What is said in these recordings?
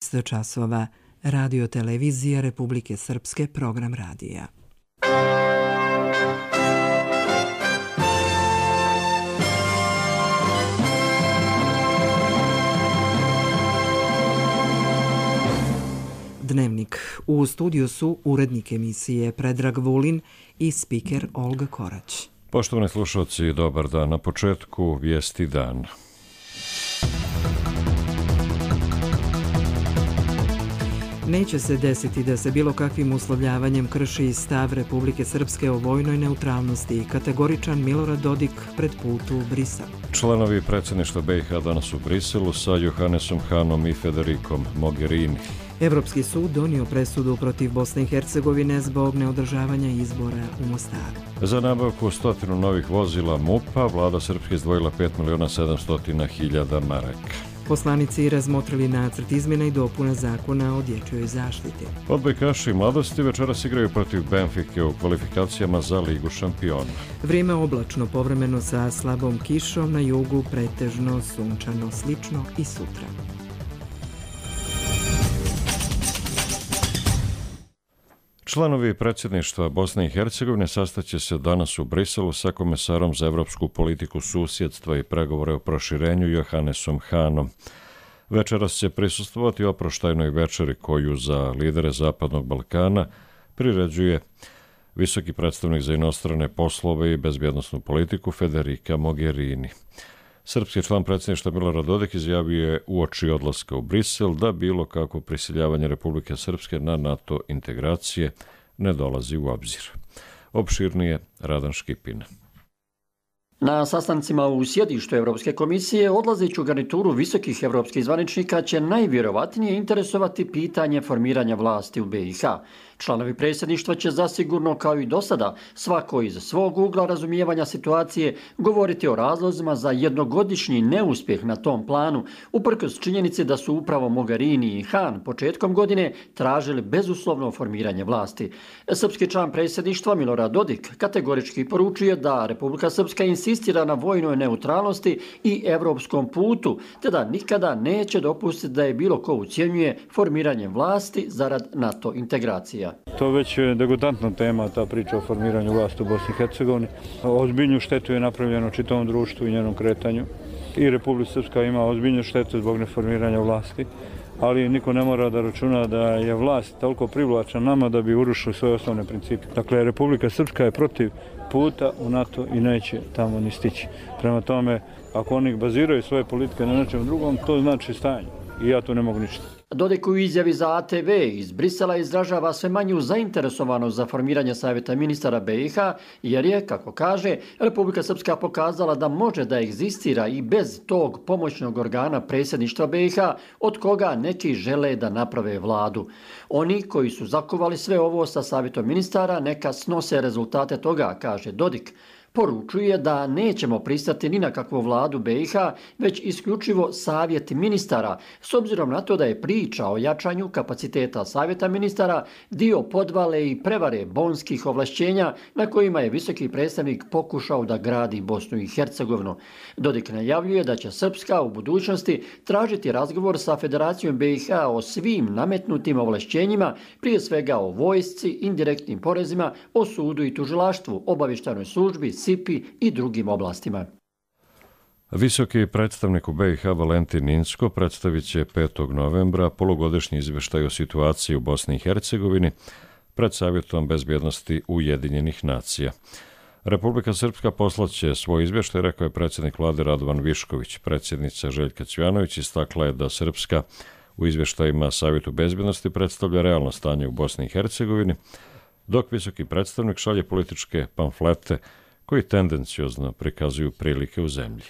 časova. Radio televizija Republike Srpske, program radija. Dnevnik. U studiju su urednik emisije Predrag Vulin i spiker Olga Korać. Poštovani slušalci, dobar dan. Na početku vijesti dan. Neće se desiti da se bilo kakvim uslovljavanjem krši stav Republike Srpske o vojnoj neutralnosti. Kategoričan Milorad Dodik pred put u Brisel. Članovi predsjedništva BiH danas u Briselu sa Johannesom Hanom i Federicom Mogherini. Evropski sud donio presudu protiv Bosne i Hercegovine zbog neodržavanja izbora u Mostaru. Za nabavku 100 novih vozila MUP-a vlada Srpske izdvojila 5.700.000 maraka. Poslanici razmotrili nacrt izmjena i dopuna zakona o dječjoj zaštiti. Odbojkaši mladosti večeras igraju protiv Benfike u kvalifikacijama za Ligu šampiona. Vrijeme oblačno, povremeno sa slabom kišom, na jugu pretežno sunčano, slično i sutra. Članovi predsjedništva Bosne i Hercegovine sastaće se danas u Briselu sa komesarom za evropsku politiku susjedstva i pregovore o proširenju Johannesom Hanom. Večeras će prisustvovati oproštajnoj večeri koju za lidere Zapadnog Balkana priređuje visoki predstavnik za inostrane poslove i bezbjednosnu politiku Federica Mogherini. Srpski član predsjedništva Milorad Dodik izjavio je uoči odlaska u Brisel da bilo kako prisiljavanje Republike Srpske na NATO integracije ne dolazi u obzir. Opširnije Radan Škipin. Na sastancima u sjedištu Evropske komisije odlazeću garnituru visokih evropskih zvaničnika će najvjerovatnije interesovati pitanje formiranja vlasti u BiH. Članovi predsjedništva će zasigurno, kao i do sada, svako iz svog ugla razumijevanja situacije govoriti o razlozima za jednogodišnji neuspjeh na tom planu, uprkos činjenici da su upravo Mogherini i Han početkom godine tražili bezuslovno formiranje vlasti. Srpski član predsjedništva Milorad Dodik kategorički poručuje da Republika Srpska insistira na vojnoj neutralnosti i evropskom putu, te da nikada neće dopustiti da je bilo ko ucjenjuje formiranje vlasti zarad NATO integracija. To već je degutantna tema, ta priča o formiranju vlasti u Bosni i Hercegovini. Ozbiljnu štetu je napravljeno čitavom društvu i njenom kretanju. I Republika Srpska ima ozbiljnu štetu zbog neformiranja vlasti, ali niko ne mora da računa da je vlast toliko privlačna nama da bi urušili svoje osnovne principe. Dakle, Republika Srpska je protiv puta u NATO i neće tamo ni stići. Prema tome, ako oni baziraju svoje politike na nečem drugom, to znači stanje. I ja tu ne mogu ništa. Dodik u izjavi za ATV iz Brisela izražava sve manju zainteresovanost za formiranje savjeta ministara BiH, jer je, kako kaže, Republika Srpska pokazala da može da egzistira i bez tog pomoćnog organa predsjedništva BiH, od koga neki žele da naprave vladu. Oni koji su zakovali sve ovo sa savjetom ministara neka snose rezultate toga, kaže Dodik. Poručuje da nećemo pristati ni na kakvu vladu BiH, već isključivo savjet ministara, s obzirom na to da je priča o jačanju kapaciteta savjeta ministara dio podvale i prevare bonskih ovlašćenja na kojima je visoki predstavnik pokušao da gradi Bosnu i Hercegovinu. Dodik najavljuje da će Srpska u budućnosti tražiti razgovor sa Federacijom BiH o svim nametnutim ovlašćenjima, prije svega o vojsci, indirektnim porezima, o sudu i tužilaštvu, obavještajnoj službi, SIPI i drugim oblastima. Visoki predstavnik u BiH Valentin Inzko predstavit će 5. novembra polugodišnji izvještaj o situaciji u Bosni i Hercegovini pred Savjetom bezbjednosti Ujedinjenih nacija. Republika Srpska poslaće svoj izvještaj, rekao je predsjednik vlade Radovan Višković. Predsjednica Željka Cvjanović istakla je da Srpska u izvještajima Savjetu bezbjednosti predstavlja realno stanje u Bosni i Hercegovini, dok visoki predstavnik šalje političke pamflete koji tendenciozno prikazuju prilike u zemlji.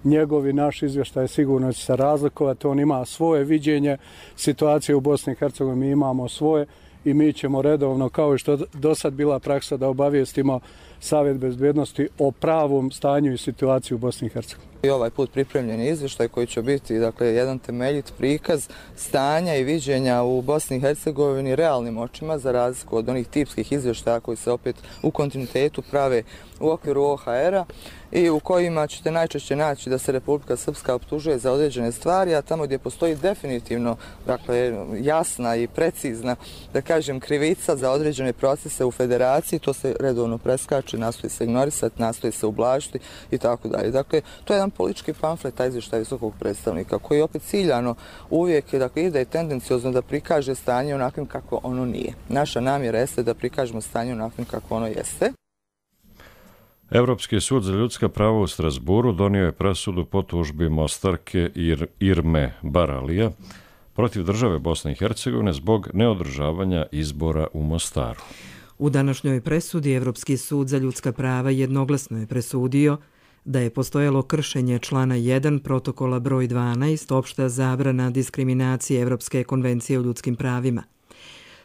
Njegovi naš izvještaj sigurno će se razlikovati, on ima svoje viđenje situacije u Bosni i Hercegovini, mi imamo svoje i mi ćemo redovno, kao i što do sad bila praksa, da obavijestimo Savjet bezbjednosti o pravom stanju i situaciji u Bosni i Hercegovini. I ovaj put pripremljen izvještaj koji će biti jedan temeljit prikaz stanja i viđenja u Bosni i Hercegovini realnim očima, za razliku od onih tipskih izvještaja koji se opet u kontinuitetu prave u okviru OHR-a i u kojima ćete najčešće naći da se Republika Srpska optužuje za određene stvari, a tamo gdje postoji definitivno jasna i precizna, da kažem, krivica za određene procese u federaciji, to se redovno preskače, nastoji se ignorisati, nastoji se ublažiti i tako dalje. Dakle, to je jedan politički pamflet, taj izvještaj visokog predstavnika, koji opet ciljano uvijek ide tendenciozno da prikaže stanje onakvim kako ono nije. Naša namjera jeste da prikažemo stanje onakvim kako ono jeste. Europski sud za ljudska prava u Strasburu donio je presudu po tužbi Mostarke Irme Baralija protiv države Bosne i Hercegovine zbog neodržavanja izbora u Mostaru. U današnjoj presudi Europski sud za ljudska prava jednoglasno je presudio da je postojalo kršenje člana 1 protokola broj 12 opšta zabrana diskriminacije Evropske konvencije o ljudskim pravima.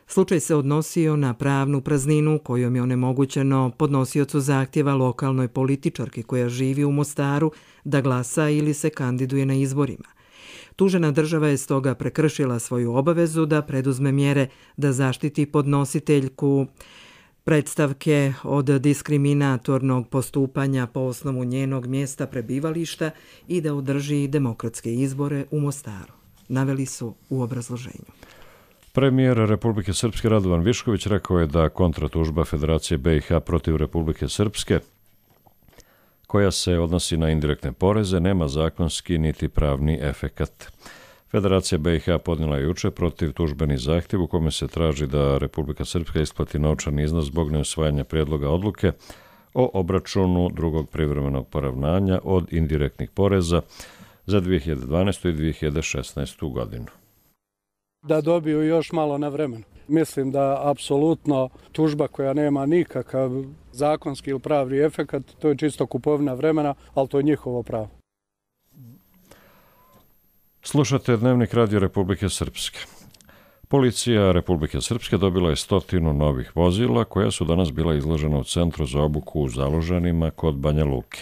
Slučaj se odnosio na pravnu prazninu kojom je onemogućeno podnosiocu zahtjeva lokalnoj političarki koja živi u Mostaru da glasa ili se kandiduje na izborima. Tužena država je stoga prekršila svoju obavezu da preduzme mjere da zaštiti podnositeljku predstavke od diskriminatornog postupanja po osnovu njenog mjesta prebivališta i da održi demokratske izbore u Mostaru, naveli su u obrazloženju. Premijer Republike Srpske Radovan Višković rekao je da kontratužba Federacije BiH protiv Republike Srpske, koja se odnosi na indirektne poreze, nema zakonski niti pravni efekat. Federacija BiH podnijela je juče protiv tužbeni zahtjev u kome se traži da Republika Srpska isplati novčani iznos zbog neusvajanja prijedloga odluke o obračunu drugog privremenog poravnanja od indirektnih poreza za 2012. i 2016. godinu. Da dobiju još malo na vremenu. Mislim da apsolutno tužba koja nema nikakav zakonski ili pravni efekat, to je čisto kupovina vremena, ali to je njihovo pravo. Slušate Dnevnik Radio Republike Srpske. Policija Republike Srpske dobila je 100 novih vozila koja su danas bila izložena u Centru za obuku u Zalužanima kod Banja Luke.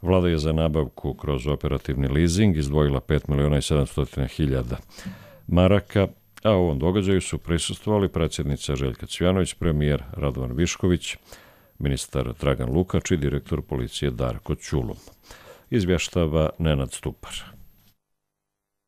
Vlada je za nabavku kroz operativni leasing izdvojila 5.700.000 maraka, a u ovom događaju su prisustvovali predsjednica Željka Cvijanović, premijer Radovan Višković, ministar Dragan Lukač i direktor policije Darko Ćulum. Izvještava Nenad Stupar.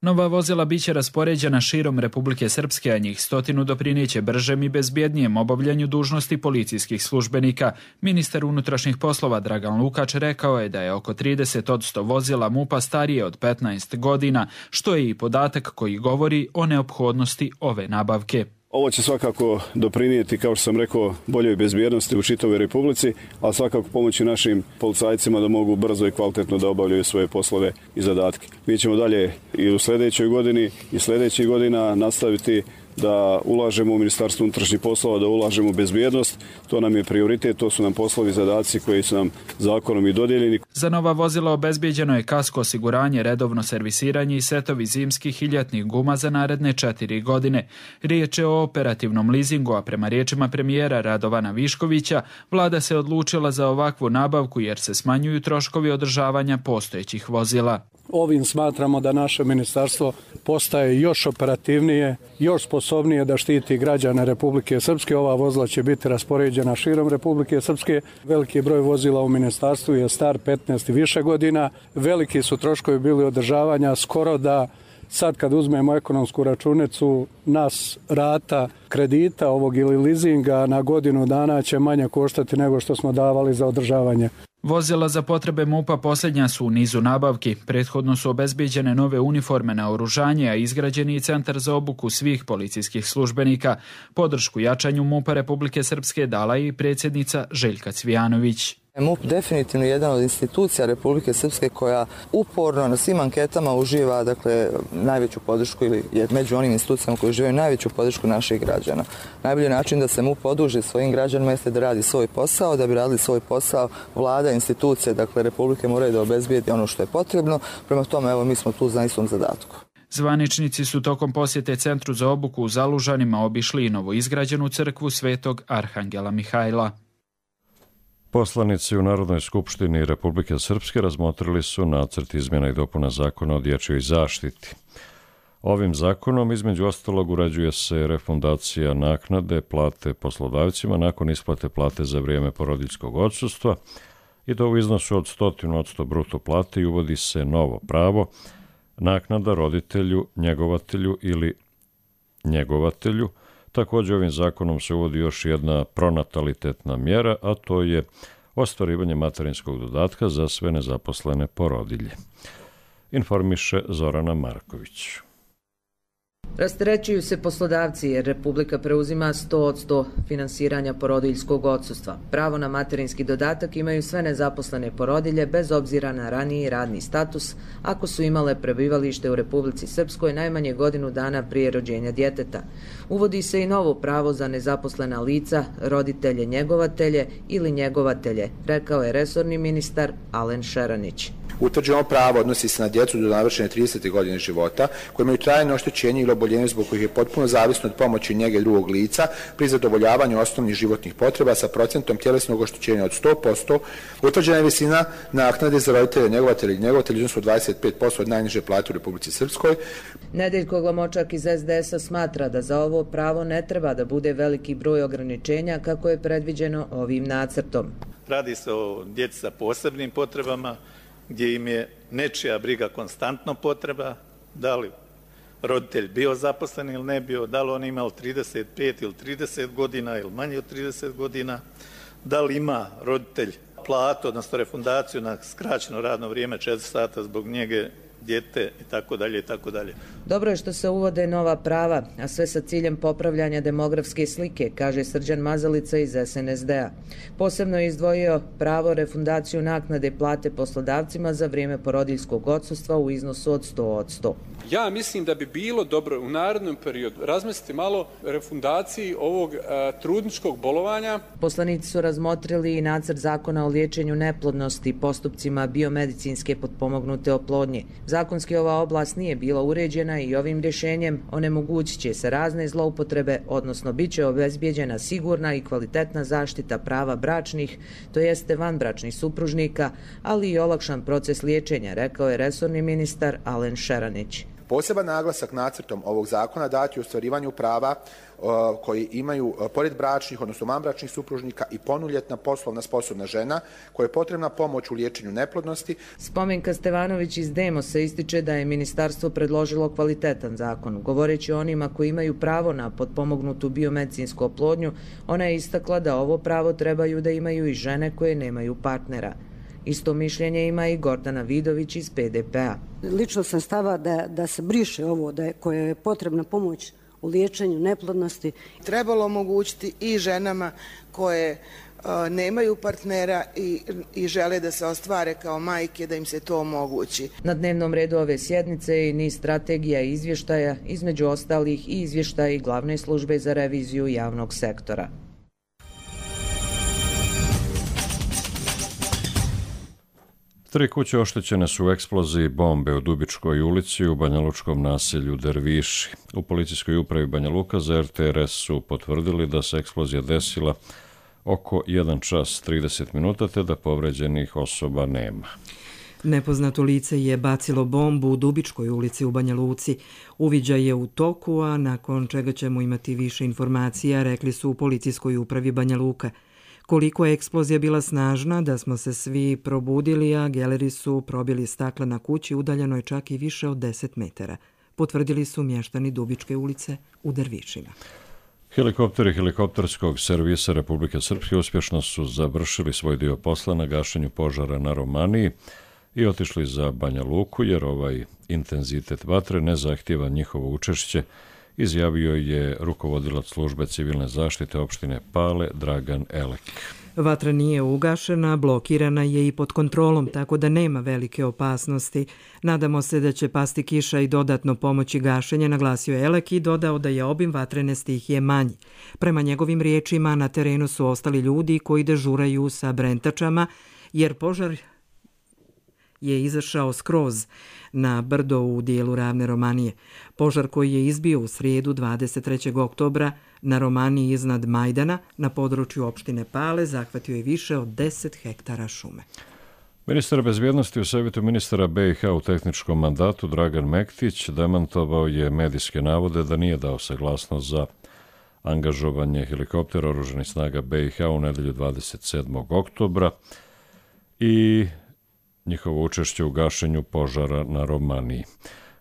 Nova vozila biće raspoređena širom Republike Srpske, a njih 100 doprinijeće bržem i bezbjednijem obavljanju dužnosti policijskih službenika. Ministar unutrašnjih poslova Dragan Lukač rekao je da je oko 30% vozila MUP-a starije od 15 godina, što je i podatak koji govori o neophodnosti ove nabavke. Ovo će svakako doprinijeti, kao što sam rekao, boljoj bezbjednosti u čitavoj Republici, a svakako pomoći našim policajcima da mogu brzo i kvalitetno da obavljaju svoje poslove i zadatke. Mi ćemo dalje i u sljedećoj godini i sljedećih godina nastaviti da ulažemo u Ministarstvo unutrašnjih poslova, da ulažemo u bezbjednost. To nam je prioritet, to su nam poslovi i zadaci koji su nam zakonom i dodijeljeni. Za nova vozila obezbijeđeno je kasko osiguranje, redovno servisiranje i setovi zimskih i ljetnih guma za naredne 4 godine. Riječ je o operativnom leasingu, a prema riječima premijera Radovana Viškovića, vlada se odlučila za ovakvu nabavku jer se smanjuju troškovi održavanja postojećih vozila. Ovim smatramo da naše ministarstvo postaje još operativnije, još sposobnije da štiti građane Republike Srpske. Ova vozila će biti raspoređena širom Republike Srpske. Veliki broj vozila u ministarstvu je star 15 i više godina. Veliki su troškovi bili održavanja, skoro da sad kad uzmemo ekonomsku računicu, nas rata kredita ovog ili leasinga na godinu dana će manje koštati nego što smo davali za održavanje. Vozila za potrebe MUP-a posljednja su u nizu nabavki. Prethodno su obezbijeđene nove uniforme na oružanje, a izgrađeni i centar za obuku svih policijskih službenika. Podršku jačanju MUP-a Republike Srpske dala i predsjednica Željka Cvijanović. MUP definitivno je jedan od institucija Republike Srpske koja uporno na svim anketama uživa najveću podršku ili je među onim institucijama koji uživaju najveću podršku naših građana. Najbolji način da se MUP oduži svojim građanima jeste da radi svoj posao. Da bi radili svoj posao, vlada, institucije, Republike moraju da obezbijedi ono što je potrebno. Prema tome, mi smo tu za istom zadatku. Zvaničnici su tokom posjete Centru za obuku u Zalužanima obišli i novo izgrađenu crkvu Svetog Arhangela Mihajla. Poslanici u Narodnoj skupštini Republike Srpske razmotrili su nacrt izmjena i dopuna zakona o dječjoj zaštiti. Ovim zakonom, između ostalog, uređuje se refundacija naknade plate poslodavcima nakon isplate plate za vrijeme porodiljskog odsustva i to u iznosu od 100% bruto plate i uvodi se novo pravo, naknada roditelju, njegovatelju ili njegovatelju. Također ovim zakonom se uvodi još jedna pronatalitetna mjera, a to je ostvarivanje materinskog dodatka za sve nezaposlene porodilje. Informiše Zorana Marković. Rasterećuju se poslodavci jer Republika preuzima 100% finansiranja porodiljskog odsustva. Pravo na materinski dodatak imaju sve nezaposlene porodilje bez obzira na raniji radni status ako su imale prebivalište u Republici Srpskoj najmanje godinu dana prije rođenja djeteta. Uvodi se i novo pravo za nezaposlena lica, roditelje, njegovatelje ili njegovatelje, rekao je resorni ministar Alen Šeranić. Utvrđeno pravo odnosi se na djecu do navršene 30. godine života koji imaju trajno oštećenje ili oboljenje zbog kojih je potpuno zavisno od pomoći njege drugog lica pri zadovoljavanju osnovnih životnih potreba sa procentom tjelesnog oštećenja od 100%. Utvrđena je visina naknade za roditelje, njegovatelje i njegovatelje iznosu od 25% od najniže plate u Republici Srpskoj. Nedeljko Glamočak iz SDS-a smatra da za ovo pravo ne treba da bude veliki broj ograničenja kako je predviđeno ovim nacrtom. Radi se o djeci sa posebnim potrebama, gdje im je nečija briga konstantno potreba, da li roditelj bio zaposlen ili ne bio, da li on imao 35 ili 30 godina ili manje od 30 godina, da li ima roditelj platu, odnosno refundaciju na skraćeno radno vrijeme 4 sata zbog njege djete itd. Dobro je što se uvode nova prava, a sve sa ciljem popravljanja demografske slike, kaže Srđan Mazalica iz SNSD-a. Posebno je izdvojio pravo refundaciju naknade plate poslodavcima za vrijeme porodiljskog odsustva u iznosu od 100%. Ja mislim da bi bilo dobro u narednom periodu razmisliti malo refundaciji ovog trudničkog bolovanja. Poslanici su razmotrili i nacrt zakona o liječenju neplodnosti postupcima biomedicinske potpomognute oplodnje. Zakonski ova oblast nije bila uređena i ovim rješenjem onemogućit će se razne zloupotrebe, odnosno bit će obezbijeđena sigurna i kvalitetna zaštita prava bračnih, to jeste vanbračnih supružnika, ali i olakšan proces liječenja, rekao je resorni ministar Alen Šeranić. Poseban naglasak nacrtom ovog zakona dati u ostvarivanju prava koji imaju pored bračnih, odnosno vanbračnih supružnika i punoljetna poslovna sposobna žena koja je potrebna pomoć u liječenju neplodnosti. Spomenka Stevanović iz Demosa ističe da je ministarstvo predložilo kvalitetan zakon. Govoreći o onima koji imaju pravo na potpomognutu biomedicinsku oplodnju, ona je istakla da ovo pravo trebaju da imaju i žene koje nemaju partnera. Isto mišljenje ima i Gordana Vidović iz PDP-a. Lično sam stava da se briše ovo, koja je potrebna pomoć u liječenju neplodnosti. Trebalo omogućiti i ženama koje nemaju partnera i žele da se ostvare kao majke, da im se to omogući. Na dnevnom redu ove sjednice je niz strategija i izvještaja, između ostalih i izvještaji Glavne službe za reviziju javnog sektora. Tri kuće oštećene su u eksploziji bombe u Dubičkoj ulici u banjalučkom naselju Derviši. U policijskoj upravi Banja Luka za RTRS su potvrdili da se eksplozija desila oko 1 čas 30 minuta te da povređenih osoba nema. Nepoznato lice je bacilo bombu u Dubičkoj ulici u Banja Luci. Uviđaj je u toku, a nakon čega ćemo imati više informacija, rekli su u policijskoj upravi Banja Luka. Koliko je eksplozija bila snažna da smo se svi probudili, a geleri su probili stakla na kući udaljenoj čak i više od 10 metara. Potvrdili su mještani Dubičke ulice u Dervišima. Helikopteri helikopterskog servisa Republike Srpske uspješno su završili svoj dio posla na gašenju požara na Romaniji i otišli za Banja Luku jer ovaj intenzitet vatre ne zahtijeva njihovo učešće, izjavio je rukovodilac službe civilne zaštite opštine Pale Dragan Elek. Vatra nije ugašena, blokirana je i pod kontrolom, tako da nema velike opasnosti. Nadamo se da će pasti kiša i dodatno pomoći gašenje, naglasio je Elek i dodao da je obim vatrene stihije manji. Prema njegovim riječima, na terenu su ostali ljudi koji dežuraju sa brentačama, jer je izašao skroz na brdo u dijelu ravne Romanije. Požar koji je izbio u srijedu 23. oktobra na Romaniji iznad Majdana na području opštine Pale zahvatio je više od 10 hektara šume. Ministar bezbjednosti u savjetu ministara BiH u tehničkom mandatu Dragan Mektić demantovao je medijske navode da nije dao saglasnost za angažovanje helikoptera oružanih snaga BiH u nedelju 27. oktobra i njihovo učešće u gašenju požara na Romaniji.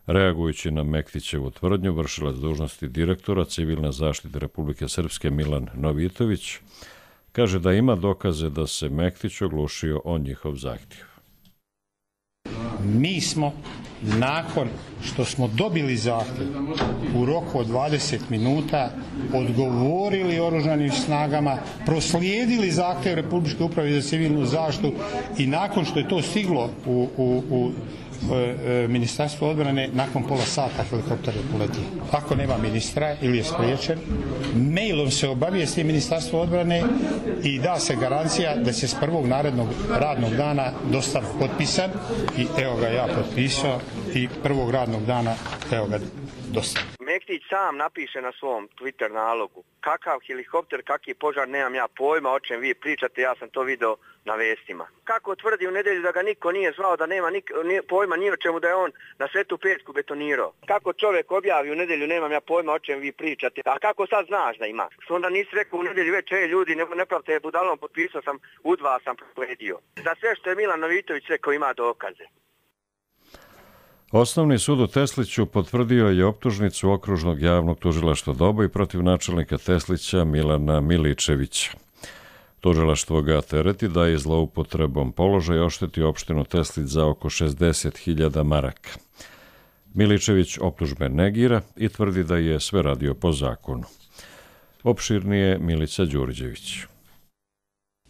Reagujući na Mektićevu tvrdnju, vršilac dužnosti direktora civilne zaštite Republike Srpske Milan Novitović kaže da ima dokaze da se Mektić oglušio o njihov zahtjev. Mi smo, nakon što smo dobili zahtjev u roku od 20 minuta, odgovorili oružanim snagama, proslijedili zahtjev Republičke uprave za civilnu zaštitu i nakon što je to stiglo u Ministarstvo odbrane, nakon pola sata helikopter je poletio. Ako nema ministra ili je spriječen, mailom se obavijesti Ministarstvo odbrane i da se garancija da će s prvog narednog radnog dana dostaviti potpisan i evo ga ja potpisao i prvog radnog dana evo ga dostavio. Mektić sam napiše na svom Twitter nalogu kakav helikopter, kakvi požar, nemam ja pojma o čem vi pričate, ja sam to video na vestima. Kako tvrdi u nedelju da ga niko nije zvao, da nema pojma ni o čemu, da je on na Svetu Petku betonirao. Kako čovjek objavi u nedelju, nemam ja pojma o čem vi pričate, a kako sad znaš da ima? Što onda nisi rekao u nedelju već, ljudi, ne pravite budalom, potpisao sam, U2 sam prosledio. Za sve što je Milan Novitović rekao ima dokaze. Osnovni sud u Tesliću potvrdio je optužnicu Okružnog javnog tužilaštva Doboj protiv načelnika Teslića Milana Miličevića. Tužilaštvo ga tereti da je zloupotrebom položaja oštetio opštinu Teslić za oko 60.000 maraka. Miličević optužbe negira i tvrdi da je sve radio po zakonu. Opširnije Milica Đurđević.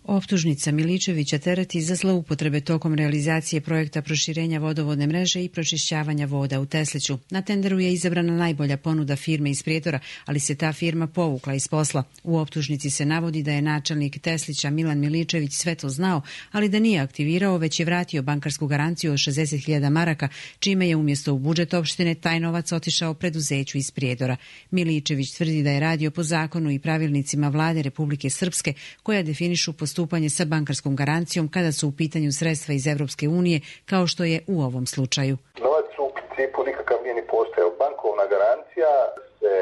Optužnica Miličevića tereti za zloupotrebe tokom realizacije projekta proširenja vodovodne mreže i pročišćavanja voda u Tesliću. Na tenderu je izabrana najbolja ponuda firme iz Prijedora, ali se ta firma povukla iz posla. U optužnici se navodi da je načelnik Teslića Milan Miličević sve to znao, ali da nije aktivirao, već je vratio bankarsku garanciju od 60.000 maraka, čime je umjesto u budžet opštine taj novac otišao preduzeću iz Prijedora. Miličević tvrdi da je radio po zakonu i pravilnicima Vlade Republike Srpske koja definišu postupanje sa bankarskom garancijom kada su u pitanju sredstva iz Evropske unije, kao što je u ovom slučaju. Novac u principu nikakav nije ni postojao. Bankovna garancija se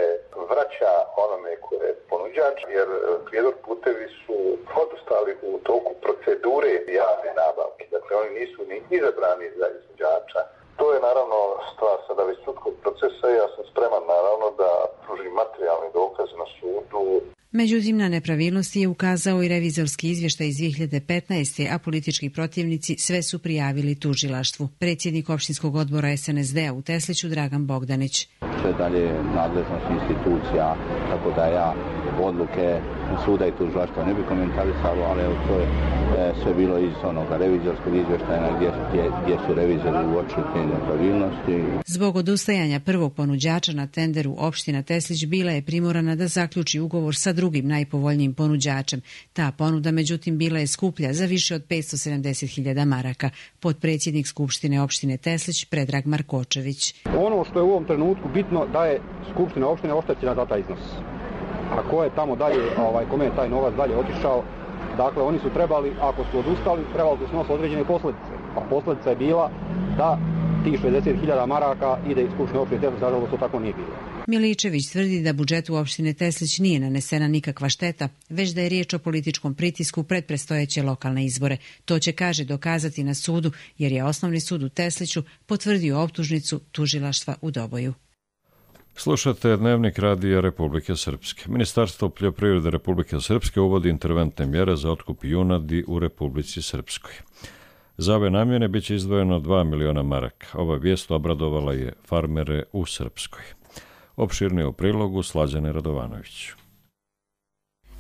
vraća onome koje je ponuđač, jer Prijedor putevi su odustali u toku procedure javne nabavke. Dakle, oni nisu ni izabrani za izvođača. To je naravno stvar sada već sudskog procesa i ja sam spreman naravno da pružim materijalni dokaz na sudu. Međutim, na nepravilnosti je ukazao i revizorski izvještaj iz 2015. a politički protivnici sve su prijavili tužilaštvu. Predsjednik opštinskog odbora SNSD-a u Tesliću Dragan Bogdanić. Sve dalje nadležnost institucija, tako da ja odluke suda i tužilaštva ne bi komentarisalo, ali evo to je sve bilo iz onoga revizorskog izvještaja gdje su revizori uočili te nepravilnosti. Zbog odustajanja prvog ponuđača na tenderu opština Teslić bila je primorana da zaključi ugovor sa drugim najpovoljnijim ponuđačem. Ta ponuda međutim bila je skuplja za više od 570.000 maraka. Potpredsjednik Skupštine opštine Teslić Predrag Markočević. Ono što je u ovom trenutku bitno da je Skupština opštine oštećena za taj iznos. A ko je tamo dalje, kome je taj novac dalje otišao, dakle oni su trebali, ako su odustali, trebali su snositi određene posljedice. A posljedica je bila da tih 60.000 maraka ide iz Skupštine opštine Teslić, nažalost to tako nije bilo. Miličević tvrdi da budžetu opštine Teslić nije nanesena nikakva šteta, već da je riječ o političkom pritisku pred predstojeće lokalne izbore. To će, kaže, dokazati na sudu, jer je Osnovni sud u Tesliću potvrdio optužnicu tužilaštva u Doboju. Slušate Dnevnik radija Republike Srpske. Ministarstvo poljoprivrede Republike Srpske uvodi interventne mjere za otkup junadi u Republici Srpskoj. Za ove namjene bit će izdvojeno 2 miliona maraka. Ova vijest obradovala je farmere u Srpskoj. Opširnije u prilogu Slađane Radovanović.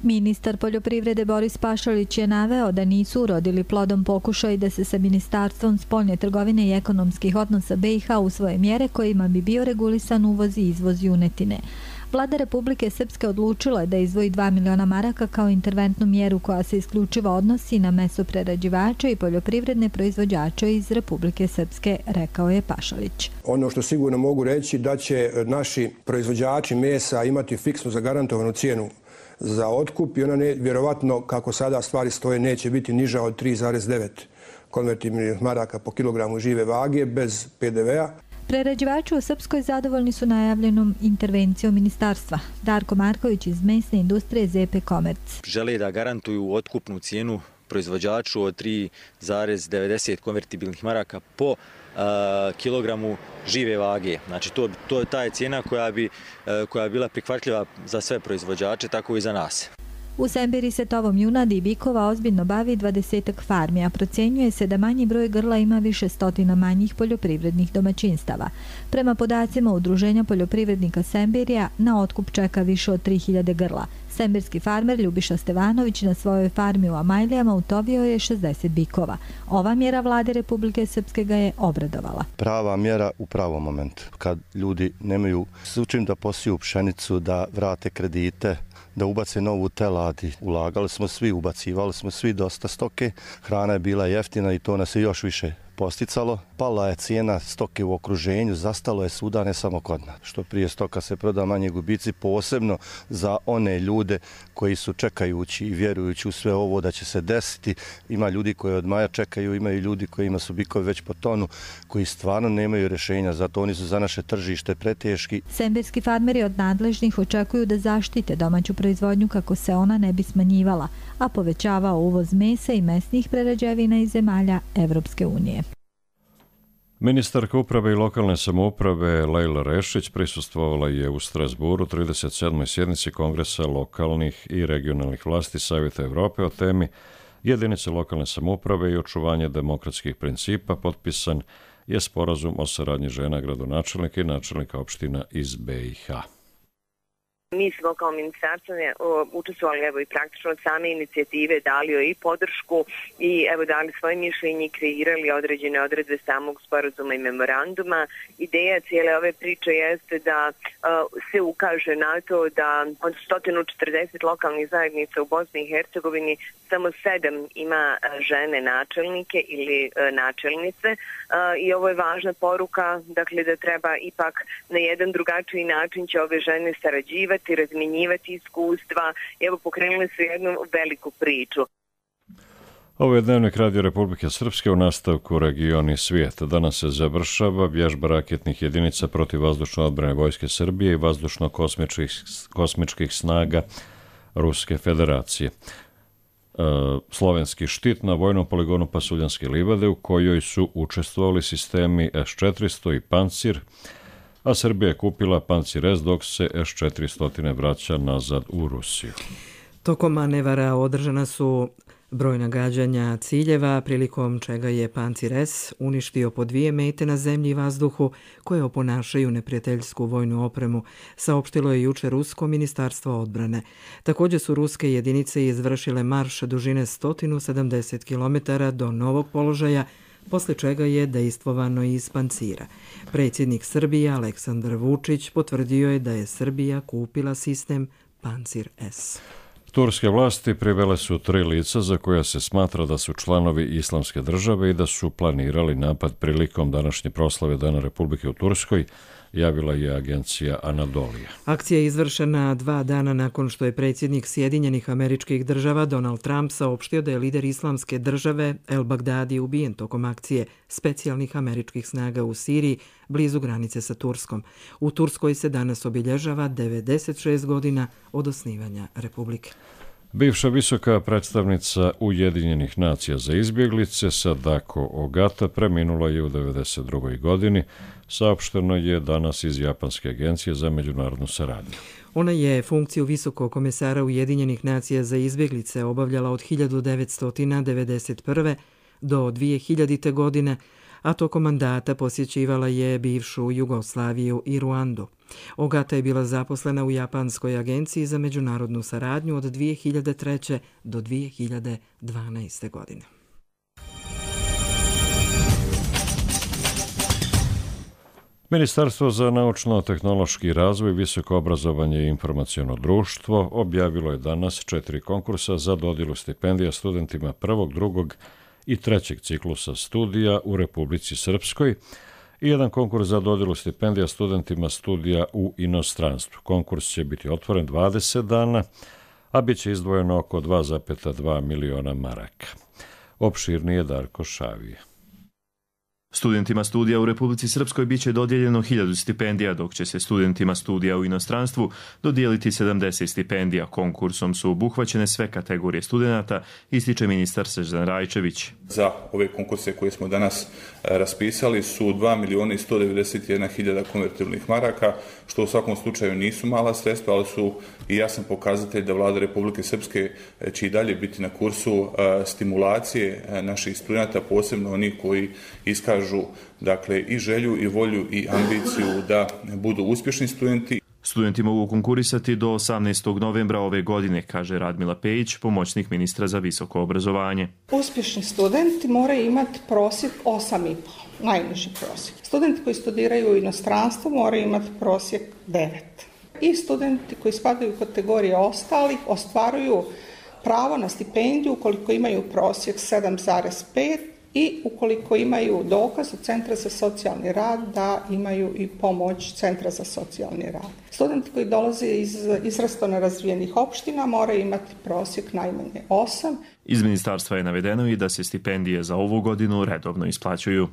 Ministar poljoprivrede Boris Pašalić je naveo da nisu urodili plodom pokušaj da se sa Ministarstvom spoljne trgovine i ekonomskih odnosa BiH usvoje mjere kojima bi bio regulisan uvoz i izvoz junetine. Vlada Republike Srpske odlučila je da izdvoji 2 miliona maraka kao interventnu mjeru koja se isključivo odnosi na mesoprerađivače i poljoprivredne proizvođače iz Republike Srpske, rekao je Pašalić. Ono što sigurno mogu reći da će naši proizvođači mesa imati fiksnu zagarantovanu cijenu za otkup i ona vjerovatno, kako sada stvari stoje, neće biti niža od 3,9 konvertibilnih maraka po kilogramu žive vage bez PDV-a. Prerađivači u Srpskoj zadovoljni su najavljenom intervencijom ministarstva. Darko Marković iz mesne industrije ZP Komerc. Žele da garantuju otkupnu cijenu proizvođaču od 3,90 konvertibilnih maraka po kilogramu žive vage. Znači to je ta cijena koja je bila prihvatljiva za sve proizvođače, tako i za nas. U Sembiri se tovom junadi i bikova ozbiljno bavi 20 farmi, a procjenjuje se da manji broj grla ima više stotina manjih poljoprivrednih domaćinstava. Prema podacima Udruženja poljoprivrednika Sembirija, na otkup čeka više od 3000 grla. Sembirski farmer Ljubiša Stevanović na svojoj farmi u Amajlijama utovio je 60 bikova. Ova mjera vlade Republike Srpske ga je obradovala. Prava mjera u pravom momentu. Kad ljudi nemaju s čim da posiju pšenicu, da vrate kredite, da ubace novu telad. Ulagali smo svi, ubacivali smo svi dosta stoke. Hrana je bila jeftina i to nas je još više posticalo. Pala je cijena stoke u okruženju, zastalo je svuda, ne samo kod nas. Što prije stoka se proda, manje gubici, posebno za one ljude koji su čekajući i vjerujući u sve ovo da će se desiti. Ima ljudi koji od maja čekaju, imaju ljudi kojima su bikovi već po tonu, koji stvarno nemaju rješenja, zato oni su za naše tržište preteški. Sembirski farmeri od nadležnih očekuju da zaštite domaću proizvodnju kako se ona ne bi smanjivala, a povećavao uvoz mesa i mesnih prerađevina iz zemalja Evropske unije. Ministarka uprave i lokalne samouprave Lejla Rešić prisustvovala je u Strasburu 37. sjednici Kongresa lokalnih i regionalnih vlasti Savjeta Evrope o temi jedinice lokalne samouprave i očuvanje demokratskih principa. Potpisan je sporazum o saradnji žena gradonačelnika i načelnika opština iz BiH. Mi smo kao ministarstvo učestvovali i praktično od same inicijative, dali joj i podršku i dali svoje mišljenje i kreirali određene odredbe samog sporazuma i memoranduma. Ideja cijele ove priče jeste da se ukaže na to da od 140 lokalnih zajednica u Bosni i Hercegovini samo 7 ima žene načelnike ili načelnice i ovo je važna poruka, dakle da treba ipak na jedan drugačiji način će ove žene sarađivati, razmjenjivati iskustva. Evo, pokrenuli su jednu veliku priču. Ovo je Dnevnik Radio Republike Srpske u nastavku Regioni svijet. Danas se završava vježba raketnih jedinica protiv vazdušne odbrane Vojske Srbije i vazdušno-kosmičkih snaga Ruske federacije. Slovenski štit na vojnom poligonu Pasuljanske livade u kojoj su učestvovali sistemi S-400 i Pancir, a Srbija je kupila Pancir S dok se S-400 vraća nazad u Rusiju. Tokom manevara održana su brojna gađanja ciljeva, prilikom čega je Pancir S uništio po 2 mete na zemlji i vazduhu koje oponašaju neprijateljsku vojnu opremu, saopštilo je juče Rusko ministarstvo odbrane. Također su ruske jedinice izvršile marš dužine 170 km do novog položaja, posle čega je dejstvovano iz Pancira. Predsjednik Srbije Aleksandar Vučić potvrdio je da je Srbija kupila sistem Pancir S. Turske vlasti privele su 3 lica za koja se smatra da su članovi Islamske države i da su planirali napad prilikom današnje proslave Dana Republike u Turskoj, javila je agencija Anadolija. Akcija je izvršena 2 dana nakon što je predsjednik Sjedinjenih Američkih Država Donald Trump saopštio da je lider Islamske države El Bagdadi ubijen tokom akcije specijalnih američkih snaga u Siriji blizu granice sa Turskom. U Turskoj se danas obilježava 96 godina od osnivanja Republike. Bivša visoka predstavnica Ujedinjenih nacija za izbjeglice Sadako Ogata preminula je u 92. godini, saopšteno je danas iz Japanske agencije za međunarodnu saradnju. Ona je funkciju visokog komesara Ujedinjenih nacija za izbjeglice obavljala od 1991. do 2000. godine, a tokom mandata posjećivala je bivšu Jugoslaviju i Ruandu. Ogata je bila zaposlena u Japanskoj agenciji za međunarodnu saradnju od 2003. do 2012. godine. Ministarstvo za naučno-tehnološki razvoj, visoko obrazovanje i informaciono društvo objavilo je danas 4 konkursa za dodjelu stipendija studentima prvog, drugog i trećeg ciklusa studija u Republici Srpskoj i jedan konkurs za dodjelu stipendija studentima studija u inostranstvu. Konkurs će biti otvoren 20 dana, a bit će izdvojeno oko 2,2 miliona maraka. Opširnije Darko Šavije. Studentima studija u Republici Srpskoj biće dodijeljeno 1000 stipendija, dok će se studentima studija u inostranstvu dodijeliti 70 stipendija. Konkursom su obuhvaćene sve kategorije studenata, ističe ministar Srđan Rajčević. Za ove konkurse koje smo danas raspisali su 2.191.000 konvertibilnih maraka, što u svakom slučaju nisu mala sredstva, ali su i jasan pokazatelj da Vlada Republike Srpske će i dalje biti na kursu stimulacije naših studenata, posebno onih koji iskažu dakle i želju i volju i ambiciju da budu uspješni studenti. Studenti mogu konkurisati do 18. novembra ove godine, kaže Radmila Pejić, pomoćnik ministra za visoko obrazovanje. Uspješni studenti moraju imati prosjek 8,5, najniži prosjek. Studenti koji studiraju u inostranstvu moraju imati prosjek 9. I studenti koji spadaju u kategorije ostalih ostvaruju pravo na stipendiju ukoliko imaju prosjek 7,5 i ukoliko imaju dokaz od Centra za socijalni rad da imaju i pomoć Centra za socijalni rad. Studenti koji dolaze iz izrazito nerazvijenih opština moraju imati prosjek najmanje 8. Iz ministarstva je navedeno i da se stipendije za ovu godinu redovno isplaćuju.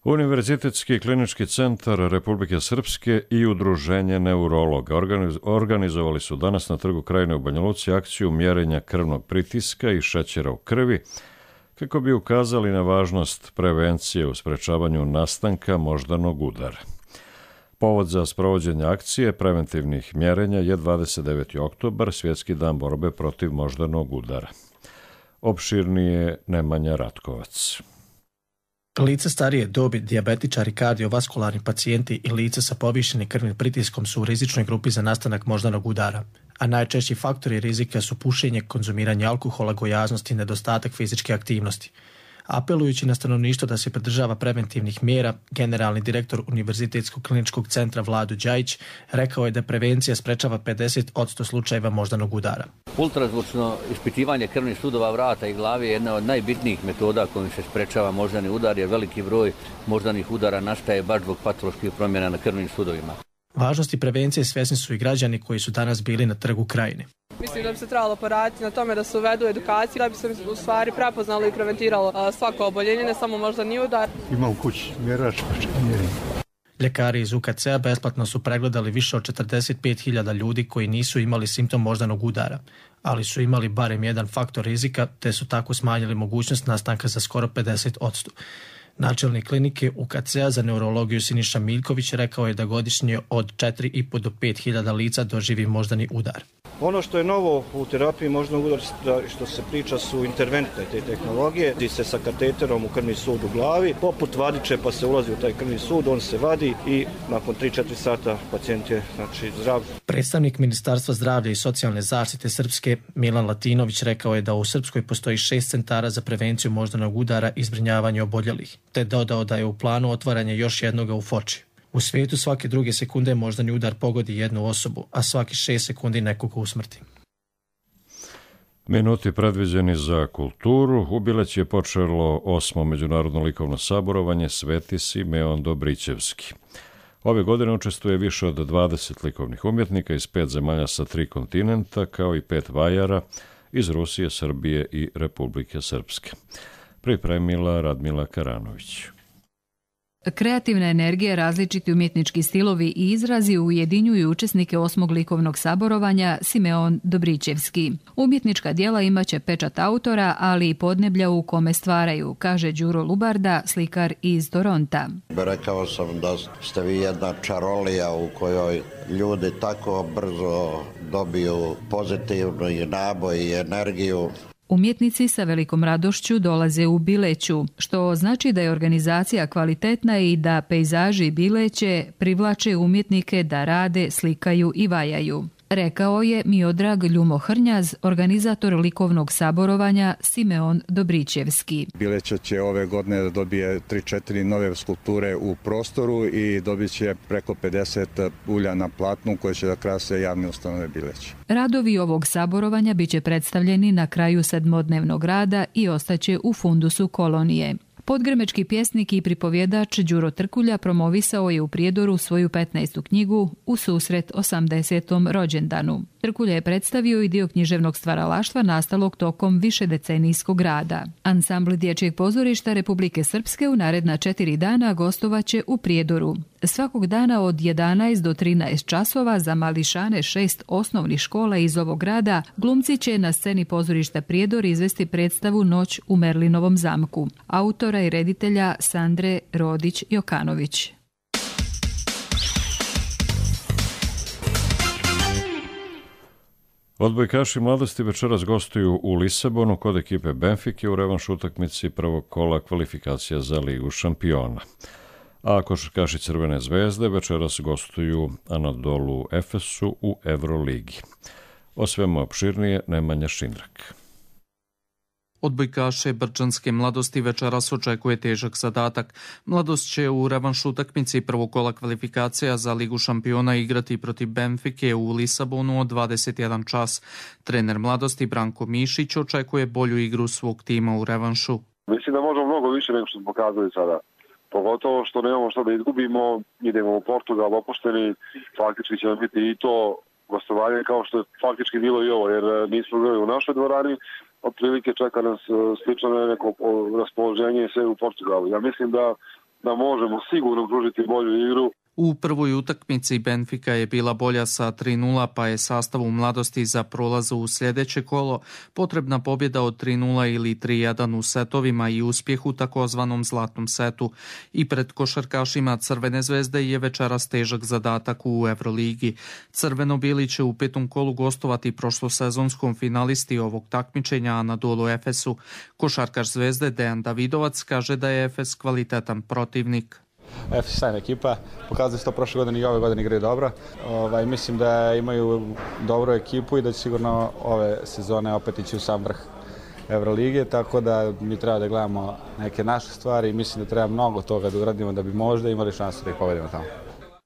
Univerzitetski klinički centar Republike Srpske i Udruženje neurologa organizovali su danas na Trgu Krajine u Banja Luci akciju mjerenja krvnog pritiska i šećera u krvi, kako bi ukazali na važnost prevencije u sprečavanju nastanka moždanog udara. Povod za sprovođenje akcije preventivnih mjerenja je 29. oktobar, Svjetski dan borbe protiv moždanog udara. Opširnije Nemanja Ratkovac. Lica starije dobi, dijabetičari, kardiovaskularni pacijenti i lica sa povišenim krvnim pritiskom su u rizičnoj grupi za nastanak moždanog udara, a najčešći faktori rizika su pušenje, konzumiranje alkohola, gojaznost i nedostatak fizičke aktivnosti. Apelujući na stanovništvo da se pridržava preventivnih mjera, generalni direktor Univerzitetskog kliničkog centra Vlado Đajić rekao je da prevencija sprečava 50% slučajeva moždanog udara. Ultrazvučno ispitivanje krvnih sudova vrata i glave je jedna od najbitnijih metoda kojim se sprečava moždani udar, jer veliki broj moždanih udara nastaje baš zbog patoloških promjena na krvnim sudovima. Važnosti prevencije svjesni su i građani koji su danas bili na Trgu Krajine. Mislim da bi se trebalo poraditi na tome da se uvedu edukaciju, da bi se u stvari prepoznalo i preventiralo svako oboljenje, ne samo moždani udar. Ima u kući mjerač, Ljekari iz UKC-a besplatno su pregledali više od 45.000 ljudi koji nisu imali simptom moždanog udara, ali su imali barem jedan faktor rizika, te su tako smanjili mogućnost nastanka za skoro 50%. Načelnik klinike UKC-a za neurologiju Siniša Miljković rekao je da godišnje od 4,5 do 5.000 lica doživi moždani udar. Ono što je novo u terapiji moždanog udara, što se priča, su interventne te tehnologije, gdje se sa kateterom u krvni sud u glavi, poput vadiče, pa se ulazi u taj krvni sud, on se vadi i nakon 3-4 sata pacijent je zdrav. Predstavnik Ministarstva zdravlja i socijalne zaštite Srpske Milan Latinović rekao je da u Srpskoj postoji 6 centara za prevenciju moždanog udara i zbrinjavanje oboljelih, te dodao da je u planu otvaranje još jednoga u Foči. U svijetu svake druge sekunde moždani udar pogodi jednu osobu, a svaki 6 sekundi nekoga usmrti. Minuti predviđeni za kulturu. U Bileć je počelo 8. međunarodno likovno saborovanje Sveti Simeon Dobrićevski. Ove godine učestvuje više od 20 likovnih umjetnika iz 5 zemalja sa 3 kontinenta, kao i 5 vajara iz Rusije, Srbije i Republike Srpske. Pripremila Radmila Karanović. Kreativna energija, različiti umjetnički stilovi i izrazi ujedinjuju učesnike 8. likovnog saborovanja Simeon Dobrićevski. Umjetnička djela imaće pečat autora, ali i podneblja u kome stvaraju, kaže Đuro Lubarda, slikar iz Toronta. Rekao sam da ste vi jedna čarolija u kojoj ljudi tako brzo dobiju pozitivnu i naboj i energiju. Umjetnici sa velikom radošću dolaze u Bileću, što znači da je organizacija kvalitetna i da pejzaži Bileće privlače umjetnike da rade, slikaju i vajaju. rekao je Miodrag Ljumohrnjaz, organizator likovnog saborovanja Simeon Dobričevski. Bileća će ove godine da dobije 3-4 nove skulpture u prostoru i dobit će preko 50 ulja na platnu koje će da krase javne ustanove Bileća. Radovi ovog saborovanja biće predstavljeni na kraju 7-dnevnog rada i ostaće u fundusu kolonije. Podgrmečki pjesnik i pripovjedač Đuro Trkulja promovisao je u Prijedoru svoju 15. knjigu U susret 80. rođendanu. Trkulja je predstavio i dio književnog stvaralaštva nastalog tokom višedecenijskog rada. Ansambl Dječjeg pozorišta Republike Srpske u naredna 4 dana gostovaće u Prijedoru. Svakog dana od 11 do 13 časova za mališane 6 osnovnih škola iz ovog grada glumci će na sceni pozorišta Prijedor izvesti predstavu Noć u Merlinovom zamku, autora i reditelja Sandre Rodić-Jokanović. Odbojkaši mladosti večeras gostuju u Lisabonu kod ekipe Benfike u revanš utakmici prvog kola kvalifikacija za Ligu šampiona. A košarkaši Crvene zvezde večeras gostuju Anadolu Efesu u Euroligi. O svemu opširnije Nemanja Šindrak. Odbojkaše Brčanske mladosti večeras očekuje težak zadatak. Mladost će u revanš utakmici prvog kola kvalifikacija za Ligu šampiona igrati protiv Benfike u Lisabonu od 21 čas. Trener mladosti Branko Mišić očekuje bolju igru svog tima u revanšu. Mislim da možemo mnogo više nego što smo pokazali sada. Pogotovo što nemamo što da izgubimo, idemo u Portugal opušteni, faktički će nam biti i to gostovanje kao što je faktički bilo i ovo, jer nismo bili u našoj dvorani, otprilike čeka nas slično neko raspoloženje sve u Portugalu. Ja mislim da možemo sigurno pružiti bolju igru. U prvoj utakmici Benfika je bila bolja sa 3:0, pa je sastavu mladosti za prolaz u sljedeće kolo potrebna pobjeda od 3:0 ili 3:1 u setovima i uspjeh u takozvanom zlatnom setu. I pred košarkašima Crvene zvezde je večeras težak zadatak u Euroligi. Crveno-bili će u 5. kolu gostovati prošlosezonskom finalisti ovog takmičenja Anadolu Efesu. Košarkaš Zvezde Dejan Davidovac kaže da je Efes kvalitetan protivnik. Efes sjajna ekipa, pokazali su to prošle godine i ove godine igraju dobro. Mislim da imaju dobru ekipu i da će sigurno ove sezone opet ići u sam vrh Euroligije, tako da mi treba da gledamo neke naše stvari i mislim da treba mnogo toga da uradimo da bi možda imali šansu da ih povedemo tamo.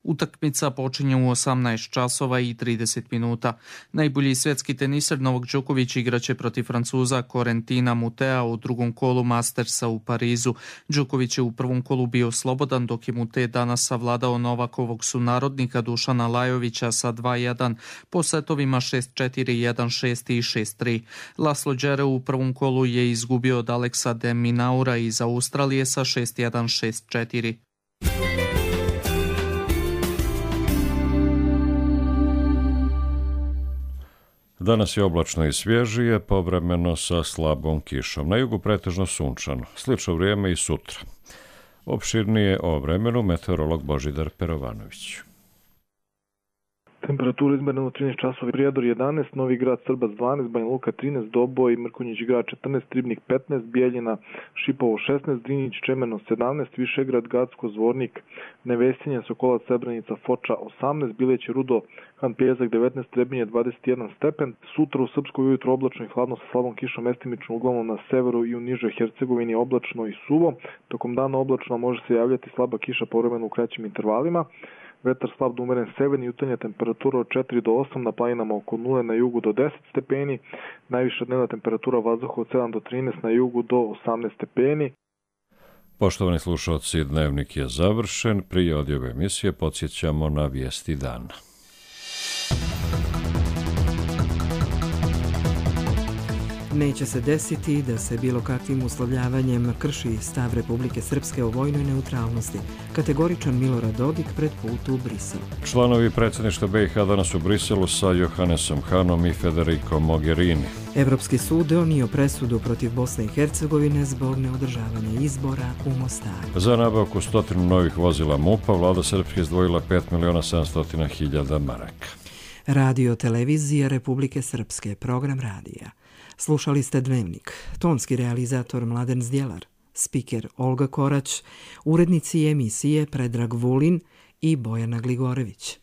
Utakmica počinje u 18 časova i 30 minuta. Najbolji svjetski teniser Novak Đoković igraće protiv Francuza Corentina Mutea u drugom kolu Mastersa u Parizu. Đoković je u prvom kolu bio slobodan, dok je Mute danas savladao Novakovog sunarodnika Dušana Lajovića sa 2:1 po setovima 6-4, 1-6 i 6-3. Laslo Đere u prvom kolu je izgubio od Aleksa de Minaura iz Australije sa 6-1, 6-4. Danas je oblačno i svježije, povremeno sa slabom kišom. Na jugu pretežno sunčano. Slično vrijeme i sutra. Opširnije o vremenu meteorolog Božidar Perovanović. Temperatura izmerena u 13 časova, Prijedor 11, Novi Grad Srbac 12, Banja Luka 13, Doboj, Mrkonjić Grad 14, Ribnik 15, Bijeljina, Šipovo 16, Drinić, Čemerno 17, Višegrad, Gacko, Zvornik, Nevesinje, Sokolac, Srebrenica, Foča 18, Bileće, Rudo, Han Pjezak 19, Trebinje 21 stepen. Sutra u Srpskoj ujutro oblačno i hladno sa slabom kišom, mestimično uglavnom na severu i u nižoj Hercegovini oblačno i suvo. Tokom dana oblačno može se javljati slaba kiša povremeno u kraćim intervalima. Vetar slab do umeren severni, jutarnja temperatura od 4 do 8, na planinama oko 0, na jugu do 10 stepeni, najviša dnevna temperatura vazduha od 7 do 13, na jugu do 18 stepeni. Poštovani slušalci, dnevnik je završen. Prije odjave emisije podsjećamo na vijesti dana. Neće se desiti da se bilo kakvim uslovljavanjem krši stav Republike Srpske o vojnoj neutralnosti. Kategoričan Milorad Dodik pred put u Brisel. Članovi predsjedništva BiH danas u Briselu sa Johannesom Hanom i Federico Mogherini. Evropski sud donio presudu protiv Bosne i Hercegovine zbog neodržavanja izbora u Mostaru. Za nabavku 100 novih vozila MUP-a vlada Srpske izdvojila 5.700.000 maraka. Radio televizija Republike Srpske, program radija. Slušali ste Dnevnik, tonski realizator Mladen Zdjelar, spiker Olga Korać, urednici emisije Predrag Vulin i Bojana Gligorević.